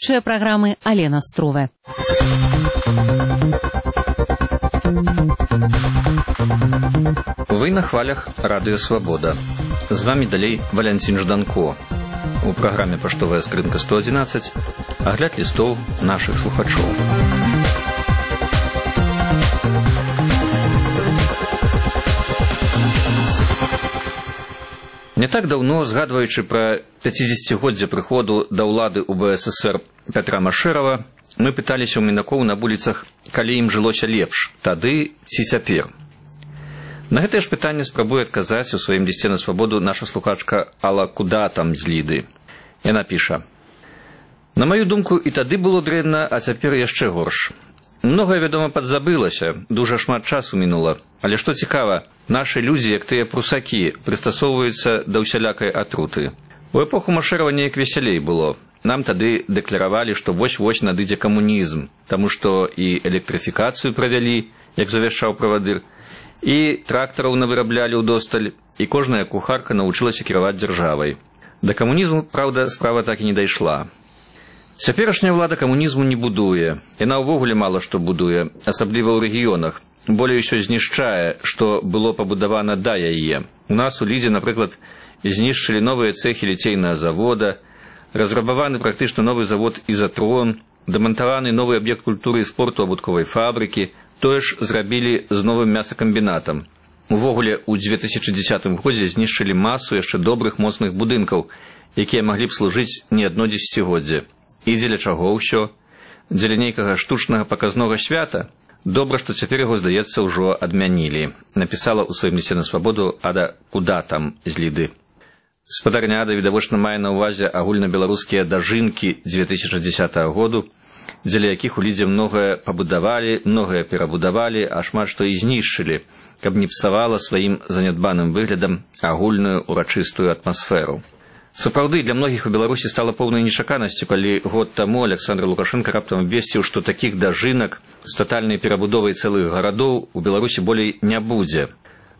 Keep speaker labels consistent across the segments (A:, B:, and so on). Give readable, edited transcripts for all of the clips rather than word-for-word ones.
A: вядучая праграмы Алена Струве.
B: Вы на хвалях Радыё Свабода. З вами далей Валянцін Жданко. У праграме «Паштовая скрынка 111» агляд лістоў нашых слухачоў. Не так даўно, згадваючы пра 50-годдзе прыходу да ўлады ў БССР Пятра Машэрава, мы пыталіся ў мінакоў на вуліцах, калі ім жылося лепш, тады ці цяпер. На гэтае ж пытанне спрабуе адказаць у сваім лісце на свабоду наша слухачка Алла Куда там з Ліды. Яна піша: «На маю думку, і тады было дрэнна, а цяпер яшчэ горш. Многае, вядома, падзабылася, дужа шмат часу мінула. Але што цікава, нашы людзі, як тыя прусакі, прыстасоўваюцца да ўсялякай атруты. У эпоху Машэрава неяк весялей было. Нам тады дэкларавалі, што вось-вось надыдзе камунізм, таму што і электрыфікацыю правялі, як завяшчаў правадыр, і трактараў навыраблялі ўдосталь, і кожная кухарка навучылася кіраваць дзяржавай. Да камунізму, праўда, справа так і не дайшла. Цяперашняя ўлада камунізму не будуе. Яна ўвогуле мала што будуе, асабліва ў рэгіёнах. Болей усё знішчае, што было пабудавана да яе. У нас у Лідзе, напрыклад, знішчылі новыя цэхі ліцейнага завода, разрабаваны практычна новы завод «Ізатрон», дамантаваны новы аб'ект культуры і спорту абутковай фабрыкі, тое ж зрабілі з новым мясакамбінатам. Увогуле, у 2010 годзе знішчылі масу яшчэ добрых моцных будынкаў, якія маглі б служыць не адно дзесяцігоддзе. І дзеля чаго ўсё? Дзеля нейкага штучнага паказнога свята? Добра, што цяпер яго, здаецца, ўжо адмянілі. Напісала ў сваім лісце на свабоду Ада Куда там з Ліды. Спадарня Ада, відавочна, мае на ўвазе агульнабеларускія дажынкі 2010 году, дзеля якіх у Лідзе многае пабудавалі, многае перабудавалі, а шмат што і знішчылі, каб не псавала сваім занядбаным выглядам агульную урачыстую атмасферу. Сапраўды, для многіх у Беларусі стала поўнай нечаканасцю, калі год таму Александр Лукашенко раптам абвесціў, што такіх дажынак з татальнай перабудовай цэлых гарадоў у Беларусі болей не будзе.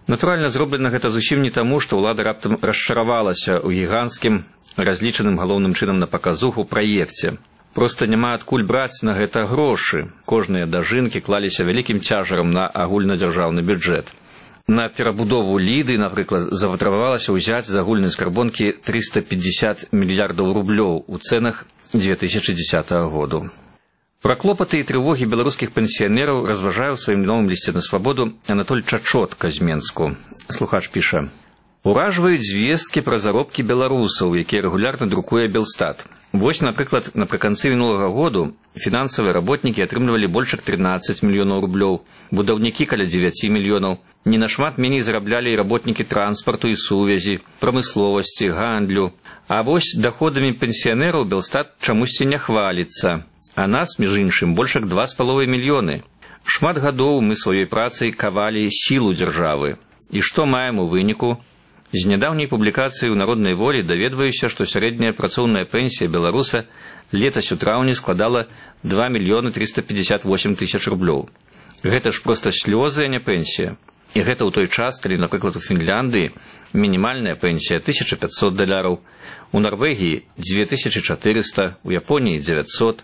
B: Натуральна, зроблена гэта зусім не таму, што ўлада раптам расчаравалася ў гіганцкім, разлічаным галоўным чынам на паказуху праекце. Проста няма адкуль браць на гэта грошы. Кожныя дажынкі клаліся вялікім цяжарам на агульнадзяржаўны бюджэт. На перабудову Ліды, напрыклад, заватрабавалася ўзяць з агульнай скарбонкі 350 мільярдаў рублёў у цэнах 2010 году. Пра клопаты і трывогі беларускіх пенсіянераў разважае ў сваім новым лісце на свабоду Анатоль Чачотка з Менску. Слухач піша: «Уражваюць звесткі пра заробкі беларусаў, якія рэгулярна друкуе Белстат. Вось, напрыклад, напрыканцы мінулага году фінансавыя работнікі атрымлівалі больш як 13 мільёнаў рублёў, будаўнікі каля 9 мільёнаў. Не нашмат меней зараблялі і работнікі транспарту і сувязі, прамысловасці, гандлю. А вось даходамі пенсіянераў Белстат чамусьці не хваліцца. А нас, між іншым, больш як 2,5 мільёны. Шмат гадоў мы сваёй працай кавалі сілу дзяржавы. І што маем у выніку? З нядаўняй публікацыі ў «Народнай волі» даведваюся, што сярэдняя працоўная пенсія беларуса летась у траўні складала 2 мільёны 358 тысяч рублёў. Гэта ж проста слёзы, а не пенсія. І гэта ў той час, калі, напрыклад, у Фінляндыі мінімальная пенсія $1500, у Нарвегіі 2400, у Японіі 900.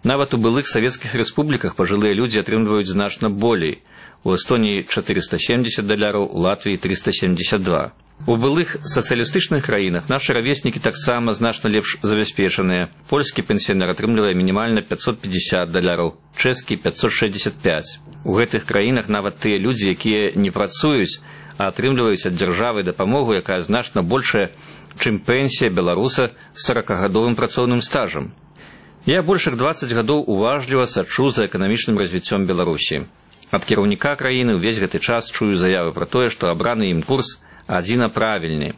B: Нават у былых савецкіх рэспубліках пажылыя людзі атрымліваюць значна болей. У Эстоніі $470, у Латвіі 372. У былых сацыялістычных краінах нашы равеснікі таксама значна лепш забяспечаныя. Польскі пенсіянер атрымлівае мінімальна $550, чэшскі 565. У гэтых краінах нават тыя людзі, якія не працуюць, а атрымліваюць ад дзяржавы дапамогу, якая значна большая, чым пенсія беларуса з 40-гадовым працоўным стажам. Я больш як 20 гадоў уважліва сачу за эканамічным развіццём Беларусі. Ад кіраўніка краіны ўвесь гэты час чую заявы пра тое, што абраны ім курс адзіна правільны.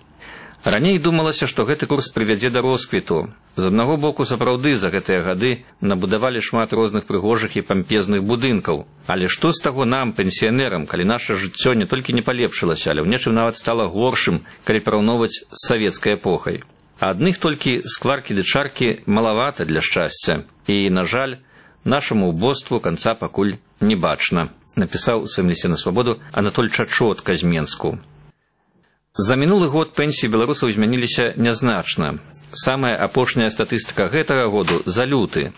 B: Раней думалася, што гэты курс прывядзе да росквіту. З аднаго боку, сапраўды, за гэтыя гады набудавалі шмат розных прыгожых і пампезных будынкаў. Але што з таго нам, пенсіянерам, калі наша жыццё не толькі не палепшылася, але ў нечым нават стала горшым, калі параўноўваць з савецкай эпохай. А адных толькі скваркі ды чаркі малавата для шчасця. І, на жаль, нашаму ўбоству канца пакуль не бачна, напісаў у сваім лісце на свабоду Анатоль Чачотка з Менску. За мінулы год пенсіі беларусаў змяніліся нязначна. Самая апошняя статыстыка гэтага году за люты.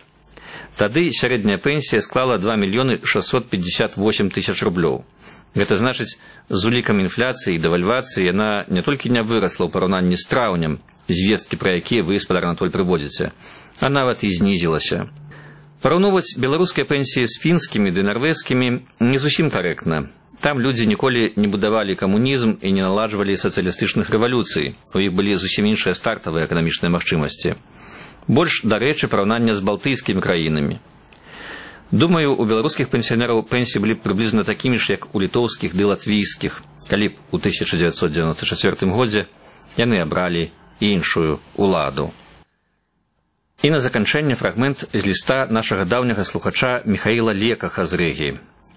B: Тады сярэдняя пенсія склала 2 658 000 рублёў. Гэта значыць, з улікам інфляцыі і дэвальвацыі яна не толькі не вырасла ў параўнанні з траўнем, звесткі пра якія вы, спадар Анатоль, прыводзіце, а нават і знізілася. Параўноўваць беларускія пенсіі з фінскімі ды нарвежскімі не зусім карэктна. Там людзі ніколі не будавалі камунізм і не наладжвалі сацыялістычных рэвалюцый. У іх былі зусім іншыя стартавыя эканамічныя магчымасці. Больш, дарэчы, параўнання з балтыйскімі краінамі. Думаю, у беларускіх пенсіянераў пенсіі былі прыблізна такімі ж, як у літоўскіх ды латвійскіх, калі б у 1994 годзе яны абралі іншую уладу. І на заканчэнне фрагмент з ліста нашага даўняга слухача Міхаіла Лекаха з Рыгі.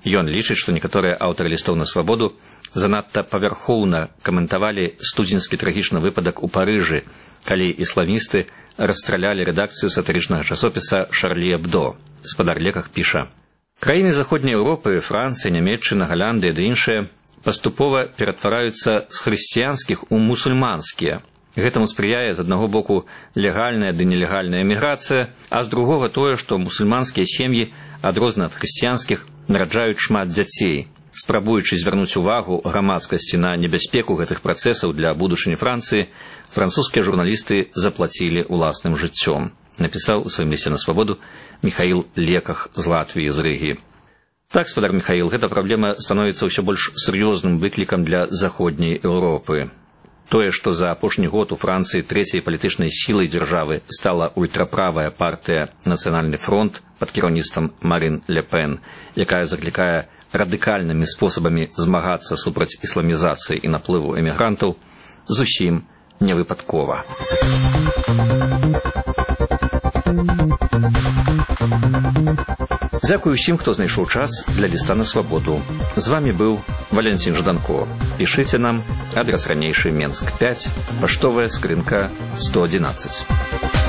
B: Ён лічыць, што некаторыя аўтары лістоў на свабоду занадта павярхоўна каментавалі студзеньскі трагічны выпадак у Парыжы, калі ісламісты расстралялі рэдакцыю сатырычнага часопіса «Шарлі Эбдо». Спадар Леках піша: «Краіны Заходняй Еўропы, Францыя, Нямецчына, Галандыя ды іншыя паступова ператвараюцца з хрысціянскіх у мусульманскія. Гэтаму спрыяе з аднаго боку легальная ды нелегальная эміграцыя, а з другога тое, што мусульманскія сем'і, адрознена ад хрысціянскіх, нараджаюць шмат дзяцей. Спрабуючы звярнуць увагу грамадскасці на небяспеку гэтых працэсаў для будучыні Францыі, французскія журналісты заплацілі ўласным жыццём», напісаў у сваім лісце на свабоду Міхаіл Леках з Латвіі, з Рыгі. Так, спадар Міхаіл, гэта праблема становіцца ўсё больш сур'ёзным выклікам для Заходняй Еўропы. Тое, што за апошні год у Францыі трэцяй палітычнай сілай дзяржавы стала ультраправая партыя «Нацыянальны фронт» пад кіраўніцтвам Марин Ле Пен, якая заклікае радыкальнымі спосабамі змагацца супраць ісламізацыі і наплыву эмігрантаў, зусім не выпадкова. Дзякую ўсім, хто знайшоў час для ліста на свабоду. З вамі быў Валентин Жданко. Пішыце нам, адрас ранейшы Менск 5, паштовая скрынка 111.